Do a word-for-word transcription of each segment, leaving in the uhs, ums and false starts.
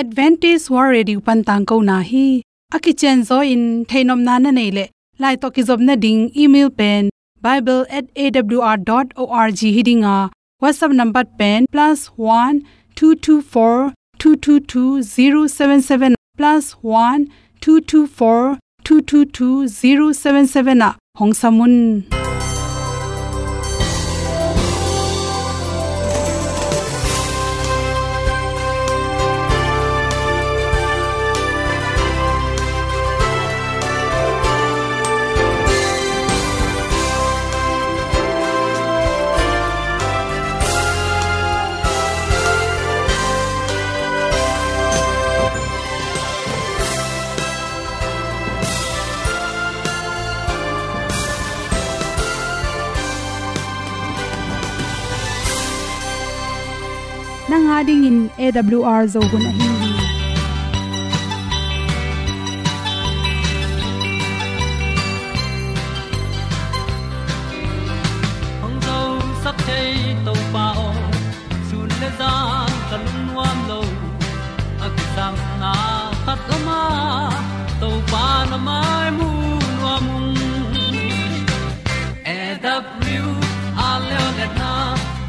Adventist World Radio pan tangkona hi. A kicianzaw in theihnopna na neih leh, lai tawh kizopna ding email pen bible at A W R dot org hi ding a, WhatsApp number pen plus one two two four two two two zero seven seven, plus one two two four two two two zero seven seven ah hong sam un. Nang a dingin A W R Zo hun ahi hi. Hong zosak thei Topa aw, sun le zan ka lungnuam lo. A kisapna khat om a, Topa na mai mu nuam ung. A W R leo letna,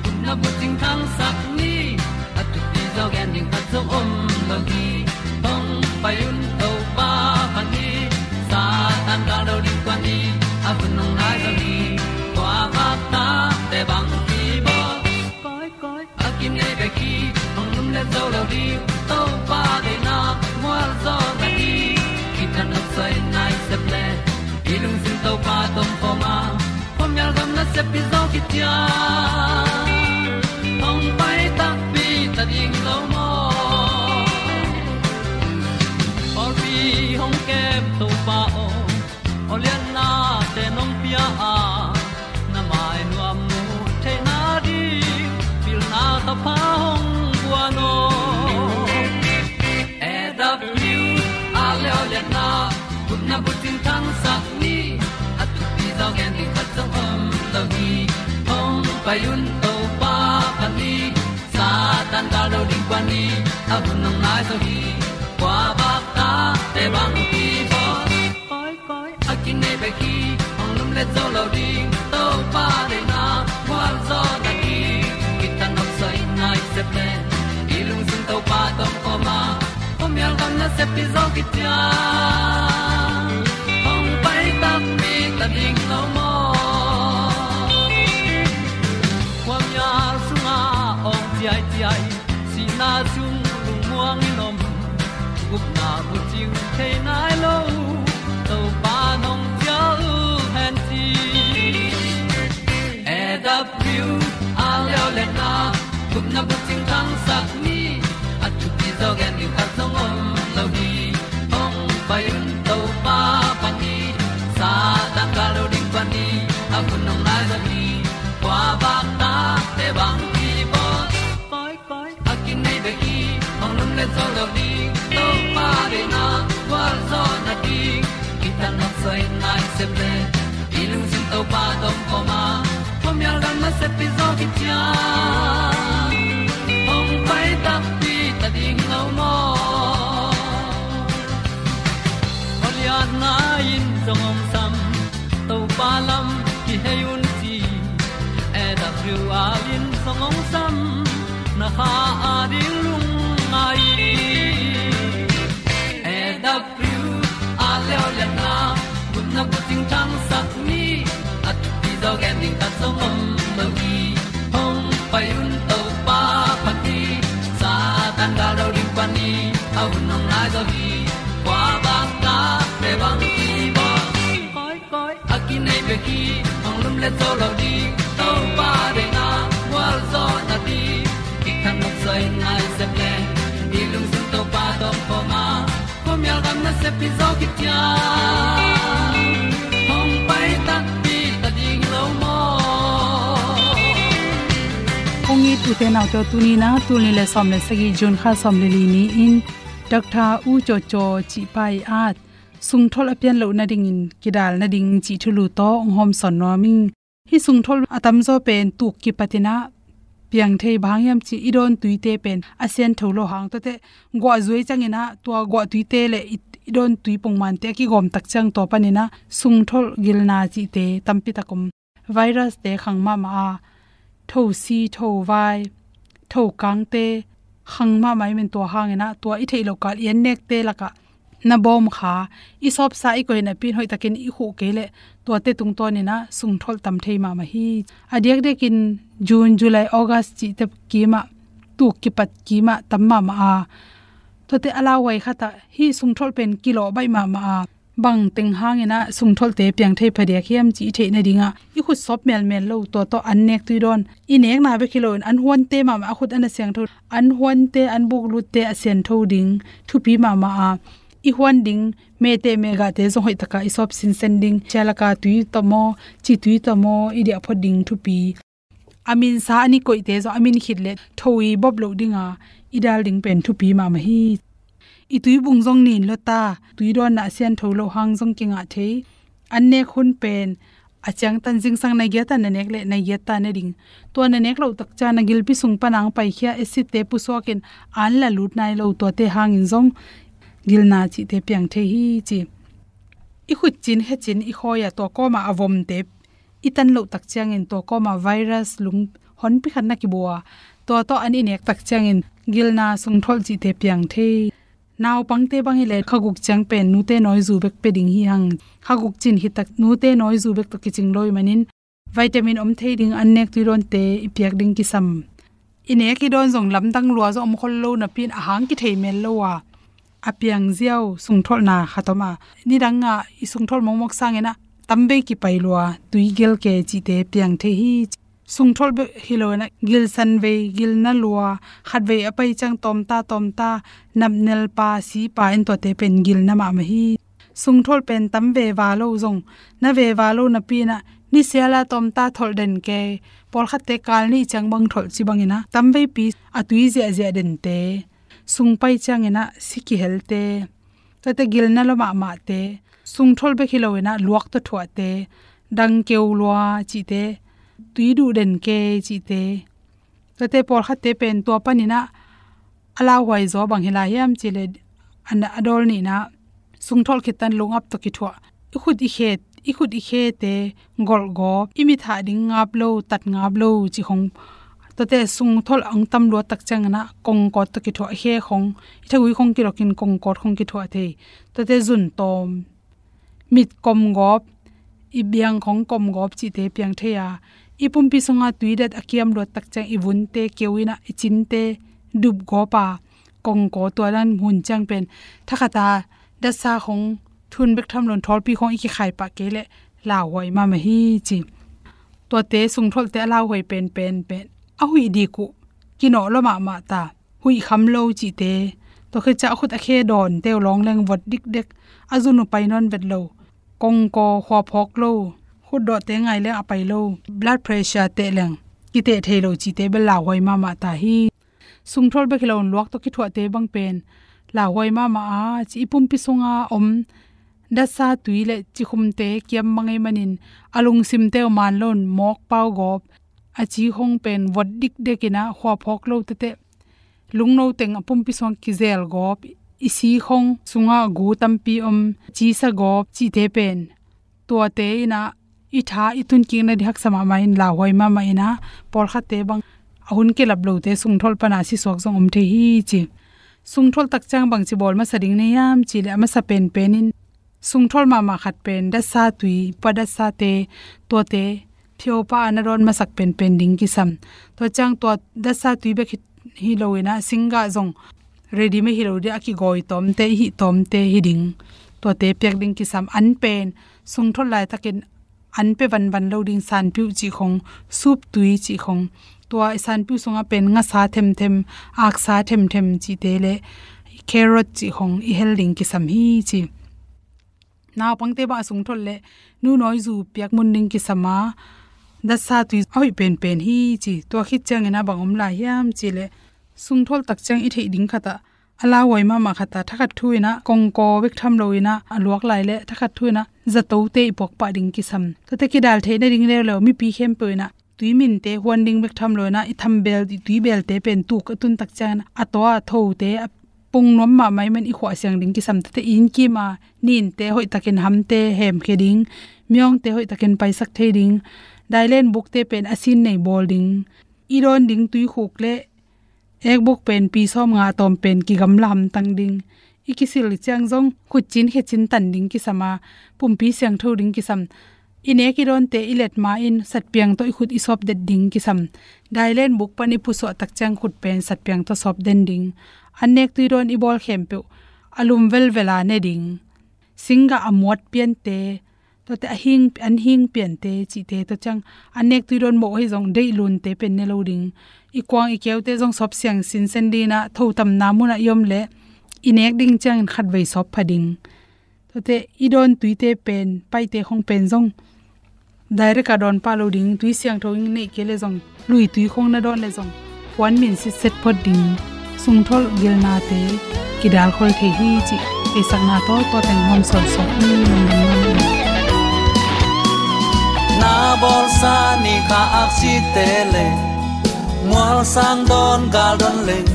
gupna bucing thangsak ni. A thupi zaw gen ding khat zong om lo hi. Hong pai un Topa phat ni. Satan gal do ding kuan ni. A hun hong nai zaw hi. Kua bak ta te bang hi bawl. Koi koi a kinei bek hi, hong lum le zo lo ding. Topa deihna mual zaw na hi. Kithat nopsai nai sep le, i lungsim Topa tawh om khawm a, khuamial gam nasep hi zaw kician. Hong pai takpi ta ding lo maw? Pawlpi hong kem Topa aw, aw liannate nong pia a, na mai nuam mu theihna ding pilna thapha hong guan aw. A W R leo letna, gupna bucing thangsak ni. A thupi zaw gen ding khat zong om lo hi. Hong pai un Topa phat ni. Satan gal do ding kuan ni. A hun hong nai zaw hi. Kua bak ta te bang hi bawl. Koi koi a kinei bek hi, hong lum le zo lo ding. Topa deihna mual zaw na hi. Kithat nopsai nai sep le, i lungsim Topa tawh om khawm a, khuamial gam nasep hi zaw kician. Hong pai takpi ta ding lo maw? Khuamial sungah awng ciaiciai, sihna sung lungmuang in om. Gupna bucing thei nai lo, Topa nong cial hen ci. A W R leo letna, gupna bucing thangsak ni. A thupi zaw gen ding khat zong om lo hi. Hong pai un Topa phat ni. Satan gal do ding kuan ni. A hun hong nai zaw hi. Kua bak ta te bang hi bawl. Koi koi a kinei bek hi, hong lum le zo lo ding. Topa deihna gualzawhna ding, kithat nopsai nai sep le, i lungsim Topa tawh om khawm a, khuamial gam nasep hi zaw kician. Hong pai takpi ta ding lo maw? Aw liatna in zong hong sam, Topa lam kihei un ci. A W R in zong hong sam, na kha a ding lungngai. A W R leo liatna, gupna bucing thangsak ni. A thupi zaw gen ding khat zong om lo hi. Hong pai un Topa phat ni. Satan gal do ding kuan ni. A hun hong nai zaw hi. Kua bang ta te bang hi bawl. Koi koi a kinei bek hi, hong lum le zo lo ding. Topa deihna gualzawhna ding, kithat nopsai nai sep le, i lungsim Topa tawh om khawm a, khuamial gam nasep hi zaw kician. Hong pai takpi ta ding lo maw? Kong it u te nau te aw, tuni in a, tul nih le sawm le sagih, June kha sawm le li ni-in, Doctor U Caw Caw cih pa i at sungtholh a pian loh nadingin, kidal nading cih thulu tawh hong hawmsawn nuam ing. Hih sungtholh a tamzaw pen tuk kipat in a piang thei. Bang hang hiam cih leh i dawn tuite pen a siantho lo hang, tuate guah zuai ciangin ah tua guah tuite le i, i dawn tui pongmante a kigawm tak ciang tua panin ah sungtholh gilna cihte tampi tak om. Virus-te khang mahmah a, thosi, thovai, thokangte khang mahmah ahih manin tua hangin ah tua i theih loh kal i annekte lakah na bawm kha, i sawpsa i koih napi-in hoihtakin i khuh kei leh tuate tungtawnin ah sungtholh tam thei mahmah hi. A diakdiakin June, July, August cihte kimah, tuk kipat kimah tam mahmah a, tuate a lauhuai khat ah hih sungtholh pen kilawh baih mahmah a, bang teng hangin ah sungtholhte piang thei phadiak hiam cih i theih nadingah i khut sawp melmel lo, tua tawh annek tui dawn, i nekna bek hi loin an huante mahmah, a khut a na siangtho, an huante, an buklutte a siantho ding thupi mahmah a, i huan ding mehteh mehgahte zong hoihtaka i sawp sinsen ding, sia laka tui tawh maw, ci tui tawh maw, i diah phot ding thupi. A minsa an i koihte zong a min khit leh tho i bawp loh dinga i dal ding pen thupi mahmah hi. I tuibung zong nin lo ta, tui dawnna a siantho lo hang zong kingah thei. Annek hun pen a ciangtan zingsang nai giat a na nek leh nai giat ta ne ding. Tua na nek loh tak ciang na gilpi sung pana hong paikhia acid-te pusuakin an la lut nai lo, tuate hangin zong gilna cihte piang thei hi ci. I khutcin, khecin, i khawi-ah tua kawmah a vomte i tan loh tak ciangin tua kawmah virus lung honpi khat na kibua, tua tawh an i nek tak ciangin gilna, sungtholh cihte piang thei. Naupangte bang hi leh kha guk ciang pen nute nawizu bek pia ding hi hang. Kha guk cin khit tak nute nawizu bek tawh kicing lo ahih manin vitamin om thei ding annek tui dawnte i piak ding kisam. I nek i dawn zong lamdang lua zong om khol lo napi-in a hang kithei mel lo a, a piang ziau sungtholhna khat om a, nidangah i sungtholh mokmok sangin ah tamvei kipai lua, tui gel kei cihte piang thei hi. Sungtholh bek hi loin ah gilsan vei, gilna lua, khatvei a pai ciang tawmta tawmta, napnel pa, si pa, en tuate pen gilna mahmah hi. Sungtholh pen tam veva lo zong, na veva lo napi-in ah nisiala tawmta tholh den kei, pawlkhatte kal nih ciang bang tholh ci bangin ah tamveipi a tui ziahziah dente, sung pai ciangin ah si kihelte, tuate gilna lua mahmahte, sungtholh bek hi loin ah luak tawh thuahte, dang keu lua cihte, tui duh den kei cihte, tuate pawlkhatte pen tua panin ah a lauhuai zaw bang hi lai hiam cih leh, a na, a dawl nihna, sungtholh khit tan lung-ap tawh kithuah, i khut i khe, i khut i khete golhgawp, i mit hah ding ngap lo, tat ngap lo cih khong, tuate sungtholh hong tam luat tak ciangin ah kongkawt tawh kithuah, i khe khong, i thagui khong kilokin kongkawt khong kithuah thei. Tuate zun tawm, mit komgawp, i biang khong komgawp cihte piang thei a, i pumpi sunga tui dat a kiam luat tak ciang i vunte keu in ah, i cinte dupgawp a, kongkaw, tua dan hun ciang pen thakhat a datsa khong, thun bek tham loin thawlpi khong i kikhai pah kei leh lauhuai mahmah hi ci. Tuate sungtholhte a lauhuai penpen pen a huih dik uh, kinawh lua mahmah ta, huih kham lo cihte, tua khit ciang a khut a khe dawnte uh lawng leng vot dikdek, a zun uh pai nawn vet lo, kongkaw, khua phawk lo, khutdawhte ngai leng a pai lo, blood pressure teh leng kiteh thei lo cihte bel lauhuai mahmah ta hi. Sungtholh bek hi loin luak tawh kithuahte bang pen lauhuai mahmah a, ci, i pumpi sunga om datsa tui le cikhumte kiam mah ahih manin a lungsimte uh man loin mawk pau gawp, a ci khong pen vot dikdek in ah khua phawk lo tete, lungno teng a pumpi sungah kizel gawp, i si khong sungah gu tampi om, cisa gawp cihte pen tuate in ah i tha i tunkikna ding haksa mahmah in, lauhuai mahmah in ah, pawlkhatte bang a hun kilap lote sungtholh pana sisuak zong om thei hi ci. Sungtholh tak ciang bangci bawl masa ding na hiam cih leh, a masa penpen in sungtholh mahmah khat pen datsa tui, pa datsate, tuate phiopha a na dawn masak penpen ding kisam. Tua ciang tua datsa tui bek hi, hi loin ah, singgah zong ready-made hi lo ding, a kigawi tawmte, i hih tawmte hi ding. Tuate piak ding kisam. An pen sungtholh laitakin an pia vanvan lo ding, sanpiuh cih khong, sup tui cih khong, tua i sanpiuh sungah pen ngasa themthem, aksa themthem cihte le carrot cih khong i hel ding kisam hi ci. Naupangte bang a sungtholh le nu nawizu piak mun ding kisam a, datsa tui a hoih penpen hi ci. Tua khit ciangin ah bang om lai hiam cih leh, sungtholh tak ciang i theih ding khat ah, a lauhuai mahmah khat ah, thakhat thu in ah kongkaw bek tham loin ah a luak lai leh, thakhat thu in ah zatote i puak pah ding kisam. Tuate kidal theih nading leuleu mipi khempeuh in ah tui minte huan ding bek tham lo in ah, i thambel, i tuibelte pen tuk a tun tak ciangin a tua a thote a pung nuam mahmah ahih manin i khuah siang ding kisam. Tuate i inn kim a ninte hoih takin hamte hemkhia ding, miawngte hoih takin paisak thei ding, dailen bukte pen a sin nei bawl ding, i dawn ding tuikhuk le ekbuk pen pi sawmnga a tawm pen kigamla hamtang ding. I kisil ciang zong khutcin khecin tan ding kisam a, pumpi siangtho ding kisam. I nek i dawnte i let ma-in satpiang tawh i khut i sawp det ding kisam. Dailen buk pan i pusuah tak ciang khut pen satpiang tawh sawp den ding. An nek tui dawn i bawl khempeuh a lum velvel a ne ding. Singgah a muat piante, tuate a hing, an hing piante cihte, tua ciang an nek tui dawn mawh ahi zong deih lunte pen ne lo ding. I kuang i keute zong sawp siang sinsen ding in ah, thotamna munah i om leh i nek ding ciangin khatvei sawp pha ding. Tuate i dawn tuite pen, paite khong pen zong direct a dawn pah lo ding, tui siangtho in neih kei leh zong, lui tui khong na dawn leh zong, huan min sitset phot ding, sungtholh gilnate kidalkhol thei hi cih theisakna tawh tua teng hawm sawlsawlin lungdam nuam ing. Na bawlsa ni kha aksite le, mualsang dawn gal dawn leng,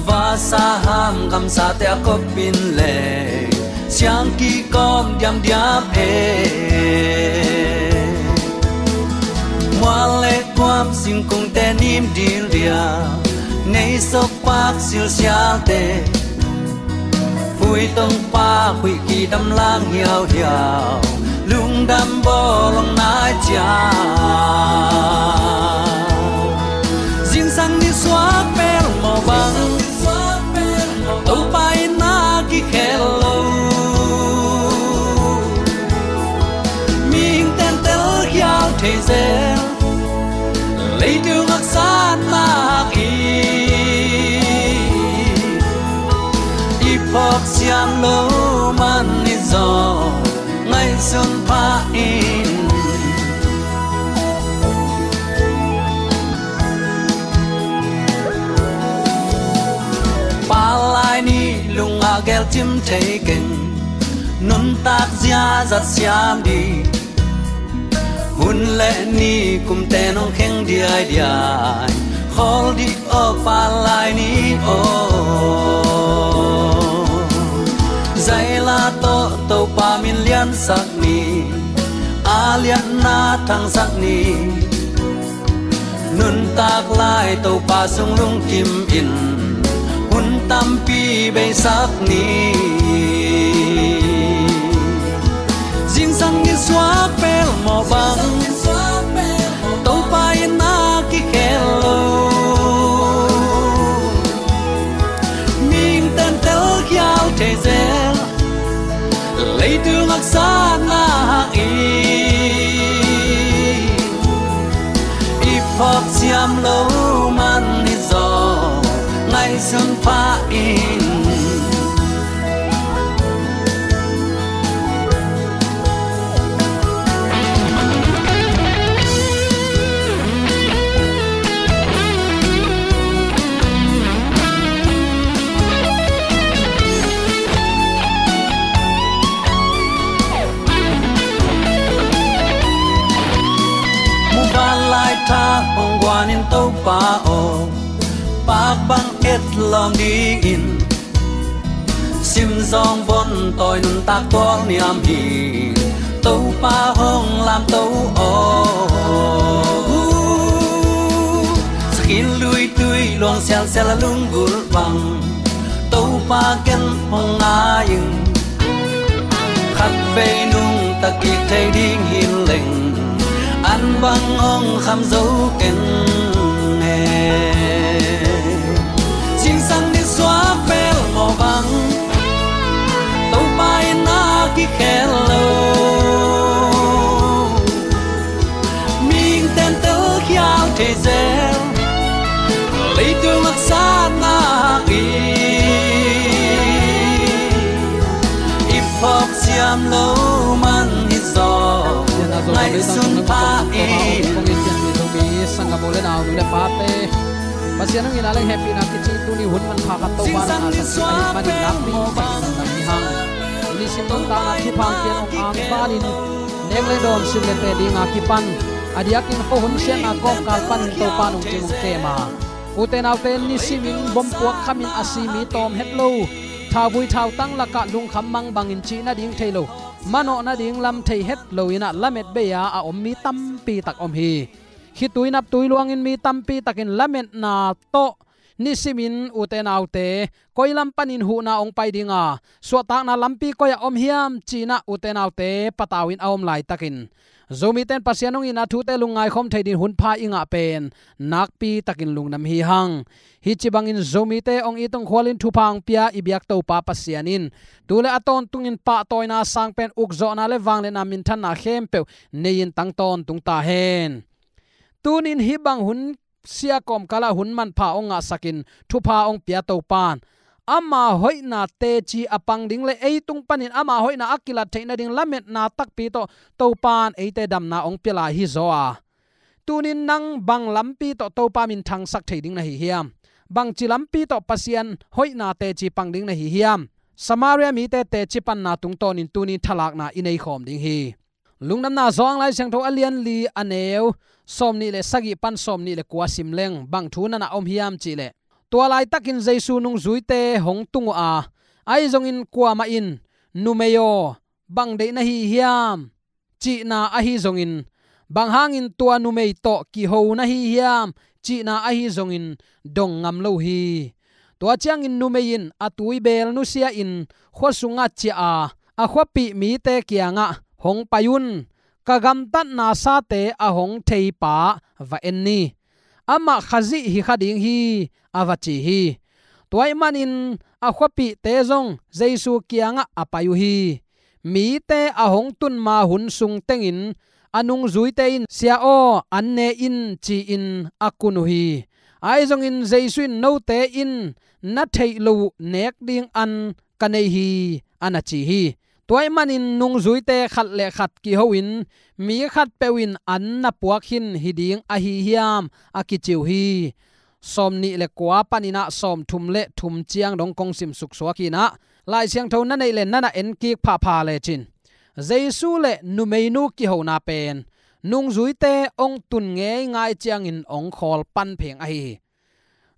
vasa ham gamsate a kop in le, siang kikawm diamdiam e. Mual le kuam singkungte nim dildial, nei sokpak silsialte, phuitong pak huih kidam lang hiauhiau, lungdam bawlong nai cia. Zingsang nisuak pelmawh bang, Topa in a kikhel lo. Mihing ten telkhial thei zel, leitung haksatna hak i, i phawk siam lo man hi zaw, ngaihsun pha in. Palai ni lung a gelcim thei keng, nuntak ziazat siam dih, hun le ni kumte nong kheng diaidiai, khawl dih aw palai ni aw. Zaila tawh Topa min liansak ni, a lianna thangsak ni. Nuntak lai Topa sung lungkim in, hun tampi beisak ni. Zingsang nisuak pelmawh bang, Topa in a kikhel lo. Mihing ten telkhial thei zel, leitung haksatna hak i, i phawk siam lo man hi zaw, ngaihsun pha in. Muvanlai tha hong guan in Topa aw, pak bang et lawm dingin, sim zawng von tawi nuntak tual niam hi, Topa hong lamto aw. Sakhin lui tui luang sialsial a lunggulh bang, Topa ken hong ngai ing. Khatvei nungta kik thei ding hi leng, an bang hong kham zo keng e. Zingsang nisuak pelmawh bang, Topa in a kikhel lo. Mihing ten telkhial thei zel, leitung haksatna hak i, i phawk siam lo man hi zaw, ngaihsun pha in. Sanggam u le nau, nu le pate, Pasian hong itna le hehpihna kicing tuni hun manpha khat Topa in a sak ahih manin nakpi in sak in nang hi hang. I nisim nuntakna thupha hong pia in, hong angvanin nek le dawn, sil le teh dinga kipan A diakin khuahun siatna kawmkal panin Topa nungcing hong kem a, ute naute, nisimin bompuak khamin a si mi tawm het lo, thauvui thautang lakah lungkham mang bangin cih nading thei lo, manawh nading lam thei het lo in ah lamet bei-a a om mi tampi tak om hi. Khitui naptui luangin mi tampi takin lametna tawh nisimin, ute naute, koi lam panin huhna hong pai ding a, suahtakna lampi koi-ah om hiam ci-in ah, ute naute, patau in a om laitakin, Zomite in Pasian hong itna thute lungngai khawm thei dingin hun pha i ngah pen nakpi takin lungdam hi hang. Hih ci bangin Zomite hong it hong khualin thupha hong pia i biak Topa Pasian in tu le a tawntungin pahtawina sang pen ukzawhna le vangliatna minthanna khempeuh nei-in tang tawntung ta hen. Tunin hih bang hun sia kawmkalah hun manpha hong ngahsakin thupha hong pia Topa in ama hoihna teci a pang ding le ei tung panin ama hoihna a kilat theih nading lametna takpi tawh Topa in eite damna hong pia lai hi zaw a, tunin nang bang lampi tawh Topa minthangsak thei ding na hi hiam? Bangci lampi tawh Pasian hoihna teci pang ding na hi hiam? Samaria mite teci panna tungtawnin tunin thalakna i nei khawm ding hi. Lungdamna Johan Lai Siangtho a lian li, a neu sawmnih le sagih pan sawmnih le kua sim leng bang thu na na om hiam cihleh, tua laitakin Jesu nungzuite hong tung uh a, ahi zongin kuamah in, "Numei aw, bang deih na hi hiam?" cihna ahi zongin, "Bang hangin tua numei tawh kiho na hi hiam?" cihna ahi zongin dong ngam lo hi. Tua ciangin numei in a tuibeel nusia-in khua sungah ciah a, a khuapih mite kiangah, "Hong pai un, ka gamtatna sate a hong theipa va en ni. Amah Khazih hi kha ding hi," a va ci hi. Tua ahih manin a khuapihte zong Jesu kiangah a pai uh hi. Mite a hong tun ma hun sung tengin a nungzuite in, "Sia aw, an ne in," ci-in a kun uh hi. Ahi zongin Jesu in, "Note in na theih loh uh nek ding an ka nei hi," a na ci hi. Tua ahih manin nungzuite khat le khat kiho-in, "Mi khatpeuh in an na puak khin hi ding ahi hiam?" a kici uh hi. Sawmnih le kua panin ah sawmthum le thum ciang dong kong sim suksuak hi-in ah, Lai Siangtho na neih le na na en kik phapha lecin, Jesu le numeinu kihona pen nungzuite hong tun ngeingai ciangin hong khawl pan pheng ahi hi.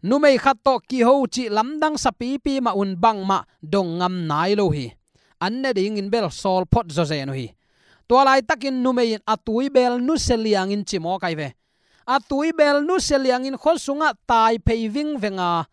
Numei khat tawh kiho cih lamdang sapipi mah un bangmah dong ngam nai lo hi. An ne dingin bel sawl phot zawzen uh hi. Tua laitakin numei in a tuibeel nusia liangin ci mawk ahi ve. A tuibeel nusia liangin khua sungah tai phei vingveng a,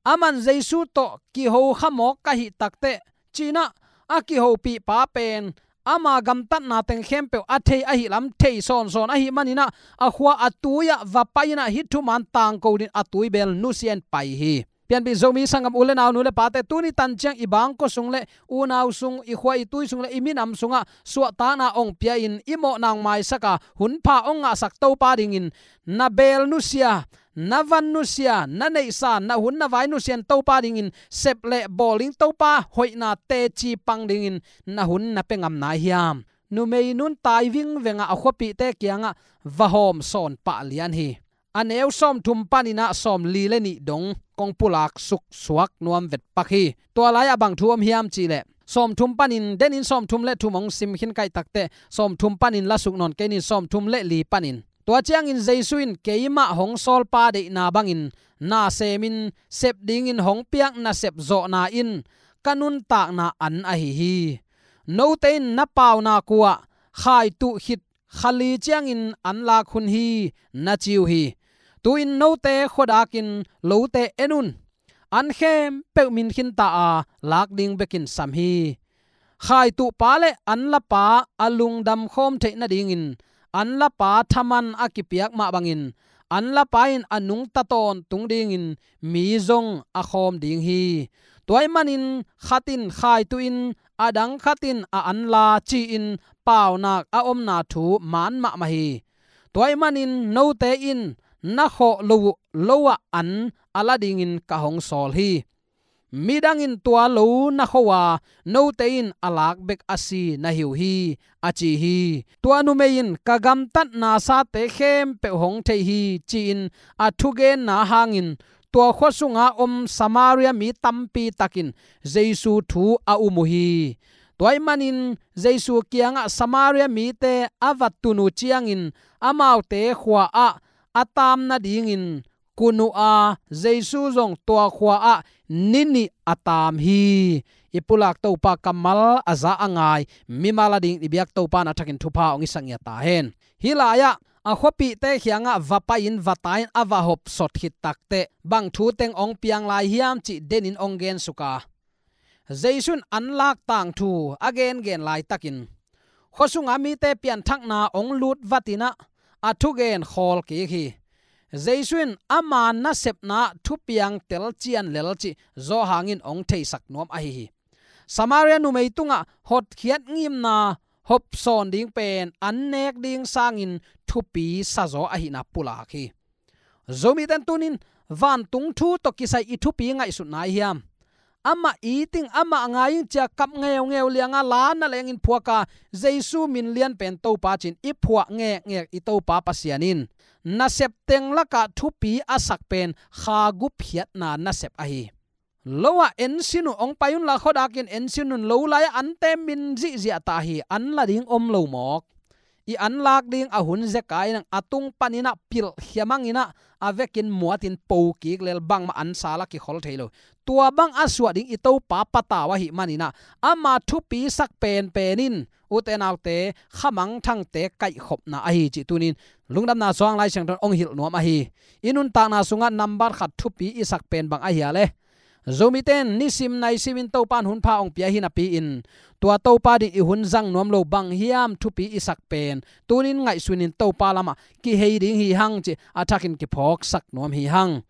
"Aman Jesu tawh kiho kha mawk ka hih takteh," ci-in ah a kihopihpa pen ama gamtatna teng khempeuh a thei ahi lam thei sawnsawn ahih manin ah, a khua a tui-ah va pai-in ah hih thuman tangko dingin a tuibeel nusia-in pai hi. Pianpih Zomi sanggam u le nau, nu le pate, tuni tan ciang i bangkua sung le unau sung, i khua i tui sung le i minam sungah suahtakna hong pia-in i mawhna hong maisak a, hun pha hong ngahsak Topa dingin na beel nusia, na van nusia, na neihsa, na hun na vai nusia-in Topa dingin sep le bawl ding, Topa hoihna teci pang dingin na hun na pia ngam nai hiam? Numei nun tai vingveng a, a khuapihte kiangah va hawm sawn pah lian hi. A neu sawmthum panin ah sawmli le nih dong kong pulak suksuak nuam vetpak hi. Tua lai-ah bang thu om hiam cihleh, sawmthum panin, denin sawmthum le thum hong sim khin ka hih takteh, sawmthum panin la suk nawn kei ning, sawmthum le li panin. Tua ciangin Jesu in, "Keimah hong sawlpa deihna bangin na semin, sep dingin hong piak nasep zawhna in ka nuntakna an ahi hi. Note in na paunak uh ah khaituh khit kha li ciangin an lak hun hi," na ci uh hi. Tu-in note khuadakin lote en un. An khempeuh min khinta a, lak ding bekin sam hi. Khaituhpa le an lapa a lungdam khawm theih nadingin an lapa thaman a kipiak mah bangin an lapa in a nungta tawntung dingin mi zong a khawm ding hi. Tua ahih manin khat in khaituh in, a dang khat in a an la ci-in paunak a omna thu man mahmah hi. Tua ahih manin note in na khawh lo uh lo-ah an a la dingin ka hong sawl hi. Midang in tua lo na kho a, note in a lak bek a si na hi uh hi, a ci hi. Tua numei in, "Ka gamtatna sate khempeuh hong thei hi," ci-in a thugenna hangin tua khua sunga om Samaria mi tampi takin Jesu thu a um uh hi. Tua ahih manin Jesu kiangah Samaria mite a va tun uh ciangin amaute khua ah a taam nadingin kun uh a, Jesu zong tua khua ah ni nih a taam hi. I pulak Topa kammal a za a ngai mimal adingin i biak Topa in a thakin thupha hong hisak ngiat ta hen. Hih lai-ah a khuapihte kiangah va pai-in va tai-in a va hopsot khit takteh bang thu teng hong piang lai hiam cih denin hong gensuk a, Jesu in an lak tangthu a gengen laitakin khuasunga mite pianthakna hong lut vatin ah a thugen khawl kik hi. Jesu in ama nasepna ah thupiang telcian lel cih Johan in hong theisak nuam ahi hi. Samaria numei tungah hotkhiat ngimna hopsawn ding pen an nek ding sangin thupi sazaw ahihna pulak hi. Zomite in tunin vantung thu tawh kisai i thupi ngaihsutna ahi hiam? Amah it ing, amah ngai ing ci-a kap ngeungeu lianga la na lengin phuak a, Jesu min lian pen Topa ci-in i phuah ngekngek i Topa Pasian in nasep teng lakah thupi a sak pen kha gupkhiatna nasep ahi. Lo ah ensin uh, hong pai unla khuadakin ensin un, lo lai-ah ante min zihziah ta hi, an la ding om lo mawk. I an lak ding a hun zeka in ah a tung panin ah pilhkhia mangin ah a vekin muatin po kik lel, bangmah an sal a kikhol thei lo. Tua bang a suah ding i Topa patau ahih manin ah ama thupi sak penpen in, ute naute, khamangthangte kaihkhopna ahi cih tunin Lungdamna Sung Lai Siangtho in hong hilh nuam ahi. I nuntakna sungah nambat khat thupi i sak pen bang ahi a le? Zomite in nisim naisimin Topa in hun pha hong pia hi napi-in, tua Topa ding i hun zang nuam lo bang hiam thupi i sak pen? Tunin ngaihsunin Topa lamah kihei ding hi hang cih a thakin kiphawksak nuam hi hang.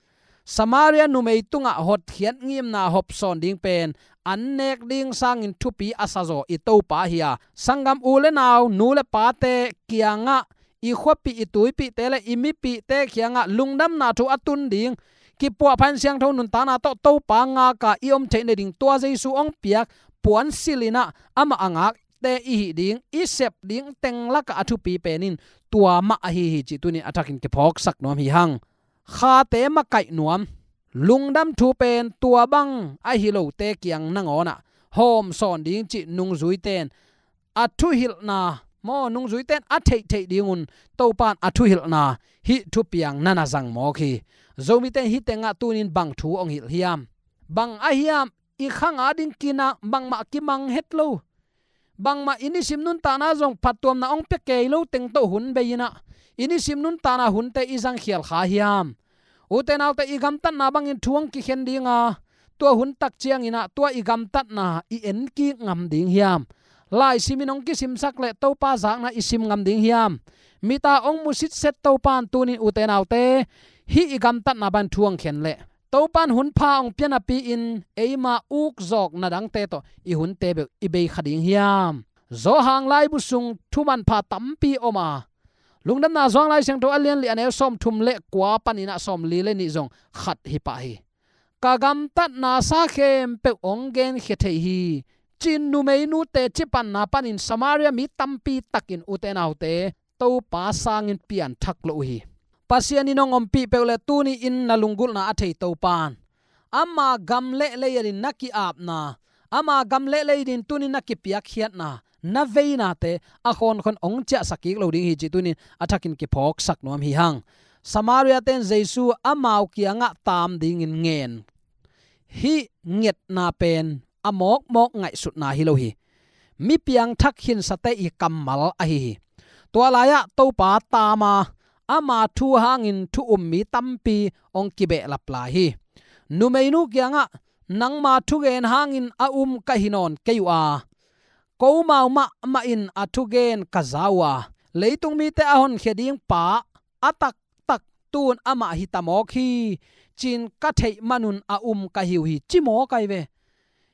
Samaria numei tungah hotkhiat ngimna hopsawn ding pen an nek ding sangin thupi a sazaw i Topa hi a, sanggam u le nau, nu le pate kiangah, i khuapih i tuipihte le i mipihte kiangah lungdamna thu a tun ding, kipuahpha in siangtho nuntakna tawh Topa ngaka i om theih nading tua Jesu hong piak puansilh in ah amah a ngakte i hih ding, i sep ding teng lakah a thupi pen in tua mah ahi hi cih tunin a thakin kiphawksak nuam hi hang. Khate makaih nuam, lungdam thu pen tua bang ahi lote kiang nangawnah hawmsawn ding cih nungzuite in a thuhilhna, maw, nungzuite in a theihtheih dingun Topa in a thuhilhna hih thupiang na na zang mawk hi. Zomite in hih tengah tunin bang thu hong hilh hiam? Bang ahiam, i khang ading kinah bangmah kimang het lo, bangmah i nisim nuntakna zong phattuamna hong pia kei lo teng tawh hun bei in ah, i nisim nuntakna hunte i zangkhial kha hiam? Ute naute, i gamtatna bangin thu hong kikhen ding a, tua hun tak ciangin ah tua i gamtatna i enkik ngam ding hiam? Laisimin hong kisimsak le Topa zakna i sim ngam ding hiam? Mita hong mu sitset Topa in tunin, ute naute, hih i gamtatna bangin thu hong khen leh Topa in hun pha hong pia napi-in eima ukzawk nadangte tawh i hunte beuh i bei kha ding hiam? Johan laibu sung thu manpha tampi om a, Lungdamna Sung Lai Siangtho a lian li, a neu sawmthum le kua panin ah sawmli le nih zong khat hi pah hi. Ka gamtatna sa khempeuh hong genkhia thei hi, ci-in numeinu teci panna panin Samaria mi tampi takin, ute naute, Topa sangin pianthak lo uh hi. Pasian in hong ompih peuh le tuni-in na lunggulhna a thei Topa in ama gam le lei adin na ki-apna, ama gam le lei adin tunin na kipiakkhiatna, na veinate a khawnkhon hong ciahsak kik lo ding hi cih tunin a thakin kiphawksak nuam hi hang. Samaria-te in Jesu amau kiangah taam dingin ngen. Hih ngetna pen a mawkmawk ngaihsutna hi lo hi. Mi piangthak khinsate i kammal ahi hi. Tua lai-ah Topa taam a, ama thu hangin thu um mi tampi hong kibehlap lai hi. Numeinu kiangah, nangma thugen hangin a um ka hi nawn kei uh a, komau mahmah in a thugen ka za uh a, leitung mite a honkhia ding pa a taktak tu-in amah hi ta mawk hi, ci-in ka theih manun a um ka hi uh hi, ci mawk ahi ve.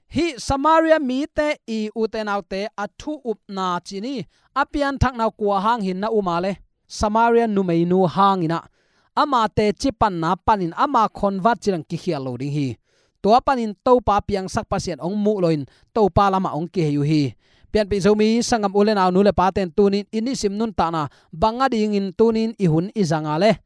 Hih Samaria mite i, ute naute, a thu upna ci ni, a pianthakna uh kua hang hi-in na um a le? Samaria numeinu hangin ah, ama teci panna panin ama convert cidang kikhial lo ding hi. Tua panin Topa piangsak Pasian hong muh loin Topa lamah hong kihei uh hi. Pianpih Zomi sanggam u le nau, nu le pate in tunin i nisim nuntakna bang adingin tunin i hun i zang a le?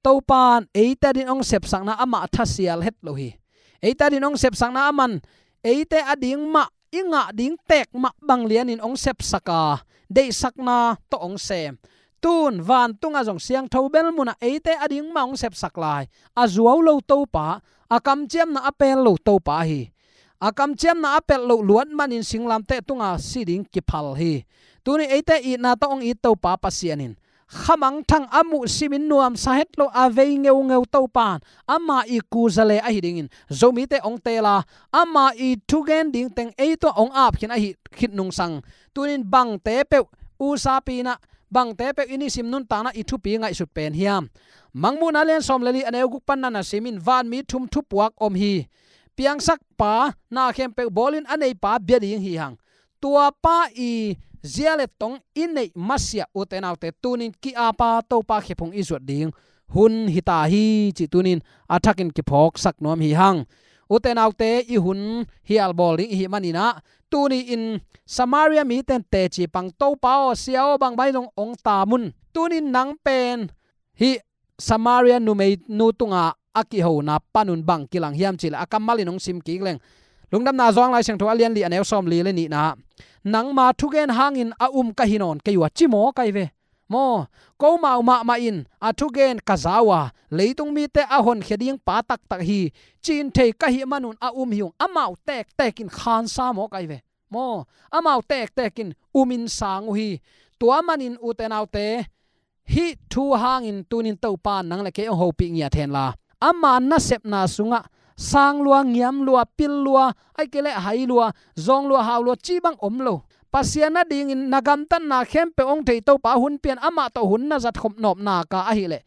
Topa in eite adin hong sepsakna amah thasial het lo hi. Eite adin hong sepsakna aman eite ading mah i ngah ding tek mah bang lianin hong sepsak a, deihsakna tawh hong sem. Tun vantungah zong siangtho bel munah eite a ding mah hong sepsak lai. A zuau lo Topa, a kamciamna a pel lo Topa hi. A kamciamna a pelh loh luat manin singlamteh tunga si ding kiphal hi. Tuni eite itna tawh hong it Topa Pasian in khamangthang a muh simin nuamsa het lo a vei ngeungeu Topa in ama i kuzale ahi dingin Zomite hong teel a, ama i thugen ding teng ei tungah hong ap khin ahi khit nungsang. Tunin bangte peuh usapi inah, bangte peuh i nisim nuntakna i thupi ngaihsut pen hiam? Mangmuhna lian sawm le li a neu guk pan na na simin vanmi thum thupuak om hi. Piangsakpa na khempeuh bawlin a neipa bia ding hi hang. Tuapa i zia le tong i neih masiah ute naute tunin ki-apa Topa khephung i zuat ding hun hita hi cih tunin a thakin kiphawksak nuam hi hang. Ute naute i hun hial bawl ding i hih maninah tuni in Samaria miten teci pang Topa aw, Sia aw, bangmah in hong, hong tam un. Tunin nang pen hih Samaria numeinu tunga a kihona panun bang kilang hiam cihleh a kammalin hong sim kik leng. Lungdamna Zuang Lai Siangtho a lian li a neu sawm li le nihna, nangma thugen hangin a um ka hi nawn kei uh a ci maw kai ve. Maw, komau mahmah in a thugen ka za uh a, leitung mite a honkhia ding pa taktak hi, cin thei ka hih manun a um hi ung, amau tektekin khansa maw kai ve. Maw, amau tektekin umin sang uh hi. Tua manin ute naute, hih thu hangin tunin Topa nang le kei hong hopih ngiat henla, ama nasepna sungah sang lua, ngiam lua, pil lua, ahih kei leh hai lua, zawng lua, hau lua cih bang om lo. Pasian adingin na gamtatna khempeuh hong thei Topa hun pian, amah tawh hun na zatkhop nop nak a ahih leh,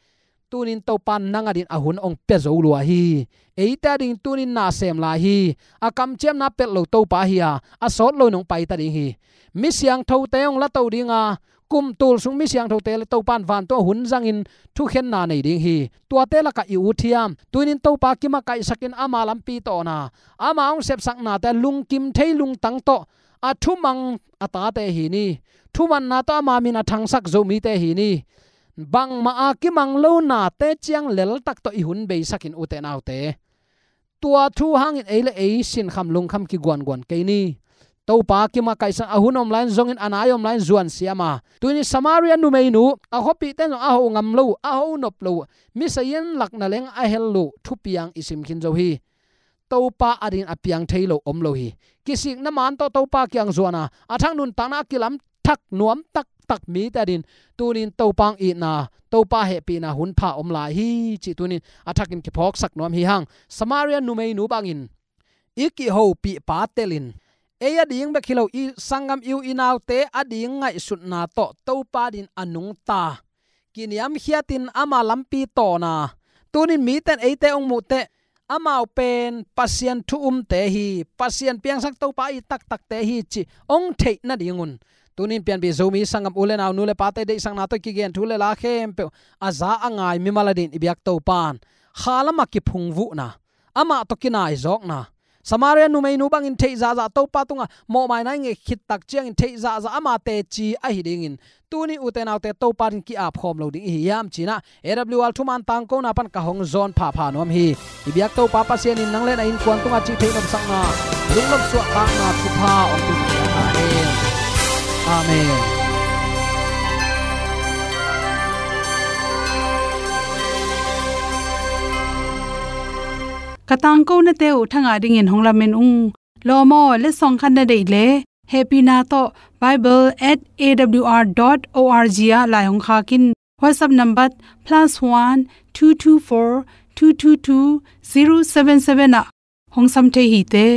tunin Topa nang adin a hun hong pia zo lua hi. Eite ading tunin na sem lai hi. A kamciamna pelh lo Topa hi a, a sawt lo in hong paita ding hi. Mi siangthote hong lato ding a, kum tul sung mi siangthote le Topa in vantung a hun zangin thukhenna nei ding hi. Tuate lakah i ut hiam? Tunin Topa kimakaihsakin ama lampi tawhna, ama hong sepsaknate lungkim thei lungtang tawh a thumang a tate hi ni. Thumanna tawh ama min a thangsak Zomite hi ni. Bangmah a kimang lo nate ciang leltak tawh i hun beisakin ute naute, tua thu hangin ei le ei sinkham lungkham kiguanguan kei ni. Topa kimakaihsak a hun om lai-in zongin a nai om lai-in zuan siam a, tunin Samaria numeinu a khuapihte in zong a ho ngam lo uh, a ho nop lo uh, mi sayin lakna leng a hel lo uh thupiang i sim khin zo hi. Topa adin a piang thei lo om lo hi. Kisikna man tawh Topa kiang zuan a, a thak nuntakna a kilam thak nuam taktak mite adin tunin Topa hong itna, Topa hehpihna hun pha om lai hi cih tunin a thakin kiphawksak nuam hi hang. Samaria numeinu bangin i kihopihpa telin ei ading bek hi lo, i sanggam, i u i naute ading ngaihsutna tawh Topa adin a nungta, kiniamkhiatin ama lampi tawhna, tunin miten eite hong muhteh amau pen Pasian thu umte hi, Pasian piangsak Topa i taktakte hi cih hong theih nadingun, tunin pianpih Zomi sanggam u le nau, nu le pate deihsakna tawh i kigen thu le la khempeuh a za a ngai mimal adin i biak Topa in khalam a kiphungvuhna, amah tawh kinaizawkna, Samaria numeinu bangin theih zahzah Topa tungah mawhmaina i nget khit tak ciangin theih zahzah ama teci ahi dingin, tuni ute naute Topa adin ki-ap khawm lo ding i hi hiam cinah A W R thuman tangkona pan ka hong zawn phapha nuam hi. I biak Topa Pasian in nang le na innkuan tungah cih theih nopsakna, lungnop suahtakna thupha hong pia ta hen. Amen. Ka tangkonate uh thangah dingin hong lamen ung. Lawm aw, letsong khat na deih leh hehpihna tawh bible at A W R dot O R G ah lai hong khak in. WhatsApp number plus one two two four two two two zero seven seven ah hong sam thei hi te.